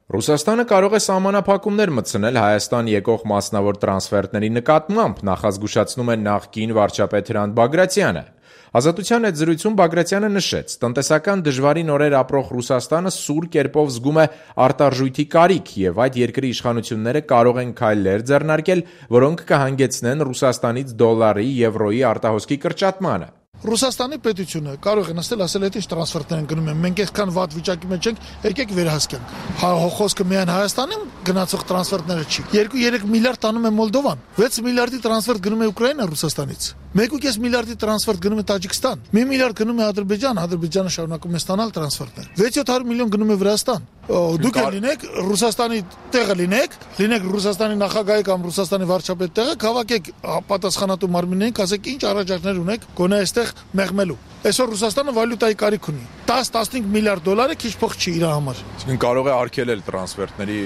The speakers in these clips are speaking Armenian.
Ռուսաստանը կարող է սահմանափակումներ մտցնել Հայաստան եկող մասնավոր տրանսֆերտների նկատմամբ, նախազգուշացնում է նախկին վարչապետ Հրանտ Բագրատյանը։ Ազատության հետ զրույցում Բագրատյանը նշեց, տնտեսական դժվարին օրեր ապրող Ռուսաստանը սուր կերպով զգում է արտարժույթի կարիք եւ այդ երկրի իշխանությունները կարող են քայլեր ձեռնարկել, որոնք կհանգեցնեն Ռուսաստանից դոլարի, եվրոյի արտահոսքի կրճատմանը։ Ռուսաստանի պետությունը կարող է նստել ասել այդ ինչ տրանսֆերտներ են գնում են, մենք այսքան վատ վիճակի մեջ ենք, եկեք վերահսկենք։ Խոսքը միայն Հայաստանին գնացող տրանսֆերտները չի։ 2-3 միլիարդ տանում է Մոլդովան, 6 միլիարդի տրանսֆերտ գնում է Ուկրաինա Ռուսաստանից, 1.5 միլիարդի տրանսֆերտ գնում է Տաջիկստան, 1 միլիարդ գնում է Ադրբեջան, Ադրբեջանը շարունակում է ստանալ տրանսֆերտներ, 600 միլիոն գնում է Վրաստան։ Դուք լինեք Ռուսաստանի տեղը լինեք Ռուսաստանի նախագահի կամ Ռուսաստանի վարչապետի տեղը, հավաքեք պատասխանատու մարմիններին, ասեք ինչ առաջարկներ ունեք գոնե այստեղ մեղմելու։ Այսօր Ռուսաստանը վալյուտայի կարիք ունի։ 10-15 միլիարդ դոլարը քիչ փող չի իր համար։ Այսինքն կարող է արգելել տրանսֆերտների։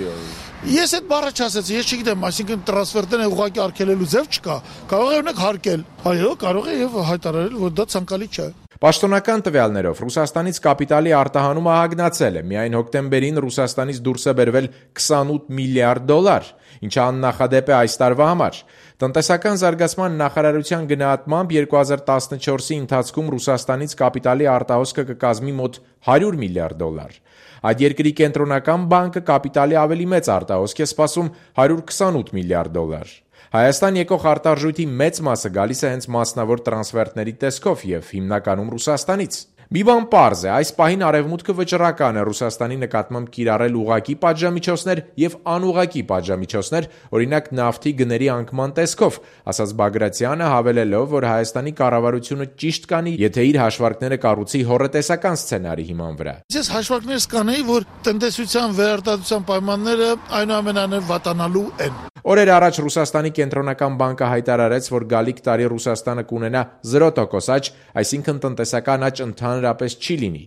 Ես այդ բառը չասեցի, ես չգիտեմ, այսինքն տրանսֆերտները ուղղակի արգելելու ձև չկա։ Կարող է ունեք հարկել։ Այո, կարող է եւ հայտարարել, որ դա ցանկալի չէ։ Պաշտոնական տվյալներով Ռուսաստանից կապիտալի արտահանումը հագնացել է։ Միայն հոկտեմբերին Ռուսաստանից դուրս է բերվել 28 միլիարդ դոլար, ինչը աննախադեպ է այս տարվա համար։ Տնտեսական զարգացման նախարարության գնահատմամբ 2014-ի ընթացքում Ռուսաստանից կապիտալի արտահոսքը կկազմի մոտ 100 միլիարդ դոլար։ Այդ երկրի կենտրոնական բանկը կապիտալի ավելի մեծ արտահոսք է սպասում 128 միլիարդ դոլար։ Հայաստան եկող արտարժույթի մեծ մասը գալիս է հենց մասնավոր տրանսֆերտների տեսքով եւ հիմնականում Ռուսաստանից։ Մի բան պարզ է, այս պահին արևմուտքը վճռական է Ռուսաստանի նկատմամբ կիրառել ուղղակի պատժամիջոցներ եւ անուղղակի պատժամիջոցներ, օրինակ նավթի գների անկման տեսքով, ասաց Բագրատյանը, հավելելով, որ Հայաստանի կառավարությունը ճիշտ կանի, եթե իր հաշվարկները կառուցի հոռետեսական սցենարի հիման վրա։ Ես հաշվարկներ կանեի, որ տնտեսության վերարտադրության պայմանները այնուամենայնիվ վատանալու են։ Օրեր առաջ Ռուսաստանի կենտրոնական բանկը հայտարարեց, որ գալիք տարի Ռուսաստանը կունենա 0% աճ, այսինքն տնտեսական աճ ընդհանրապես չի լինի։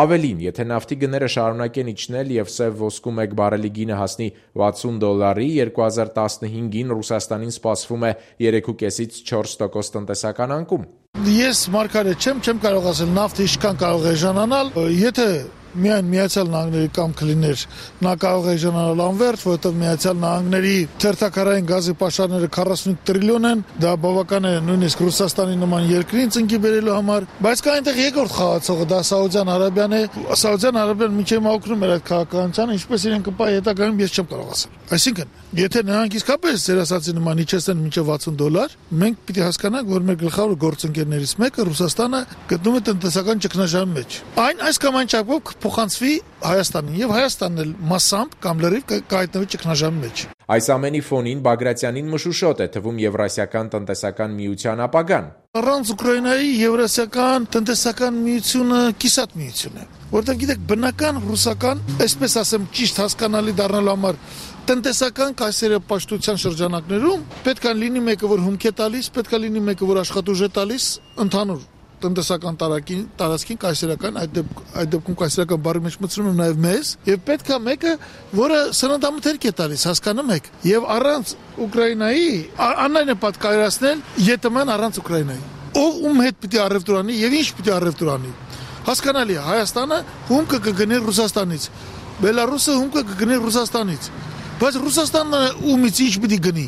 Ավելին, եթե նավթի գները շարունակեն իջնել եւ սև ոսկու 1 բարելի գինը հասնի 60 դոլարի, 2015-ին Ռուսաստանին սպասվում է 3.5-ից 4% տնտեսական անկում։ Ես մարգարետ չեմ կարող ասել նավթը ինչքան կարող է ժանանալ, եթե միայն Միացյալ Նահանգների կամքը լիներ, նա կարող է ժանանալ անվերջ, որովհետև Միացյալ Նահանգների թերթակարային գազի պաշարները 45 տրիլիոն են, դա բավական է նույնիսկ Ռուսաստանի նման երկրին ծնկի բերելու համար, բայց կա այնտեղ երկրորդ խաղացողը, դա Սաուդյան Արաբիան է։ Սաուդյան Արաբիան միջև օգնում էր այդ քաղաքականությանը, ինչպես իրեն կպայի հետագայում ես չեմ կարող ասել։ Այսինքն, եթե նրանք իսկապես ձեր ասացի նման իջեցնեն մինչև 60 դոլար, մենք պիտի հասկանանք, որ մեր գլխավոր գործընկերներից մեկը Ռուսաստանը գտնում է տնտեսական ճգնաժամի մեջ։ Այս կամ այն չափով փոխանցվի Հայաստանին եւ Հայաստանն էլ մասամբ կամ լրիվ կհայտնվի ճգնաժամի մեջ։ Այս ամենի ֆոնին Բագրատյանին մշուշոտ է թվում Եվրասիական տնտեսական միության ապագան։ Առանց Ուկրաինայի Եվրասիական տնտեսական միությունը կիսատ միություն է, որտեղ գիտեք բնական ռուսական, այսպես ասեմ, ճիշտ հասկանալի դառնալու համար տնտեսական կայսերապաշտության շրջանակներում պետք է լինի մեկը, որ հումք է տալիս, պետք է լինի մեկը, որ աշխատուժ է տալիս ընդհանուր տնտեսական տարածքին կայսերական, այդ դեպքում կայսերական բառի մեջ մտցնում եմ նաև մեզ, եւ պետք է մեկը, որը սննդամթերք է տալիս, հասկանում եք, եւ առանց Ուկրաինայի անայն է պատկերացնել ԵՏՄ-ն առանց Ուկրաինայի։ Ով ում հետ պիտի առևտուրանի եւ ինչ պիտի առևտուրանի։ Հասկանալի է, Հայաստանը հումքը կգնի Ռուսաստանից, Բելարուսը հումքը կգնի Ռուսաստանից, բայց Ռուսաստանը ումից ինչ պիտի գնի։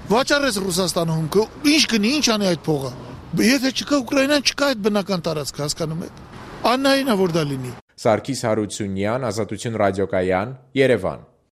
Վաճառես Ռուսաստանը հումքը, ինչ գնի, ինչ անի այդ փողը։ Եթե չկա Ուկրաինան, չկա այդ բնական տարածքը, հասկանում եք։ Աննայինա որ դա լինի։ Սարգիս Հարությունյան, Ազատություն ռադիոկայան, Երևան։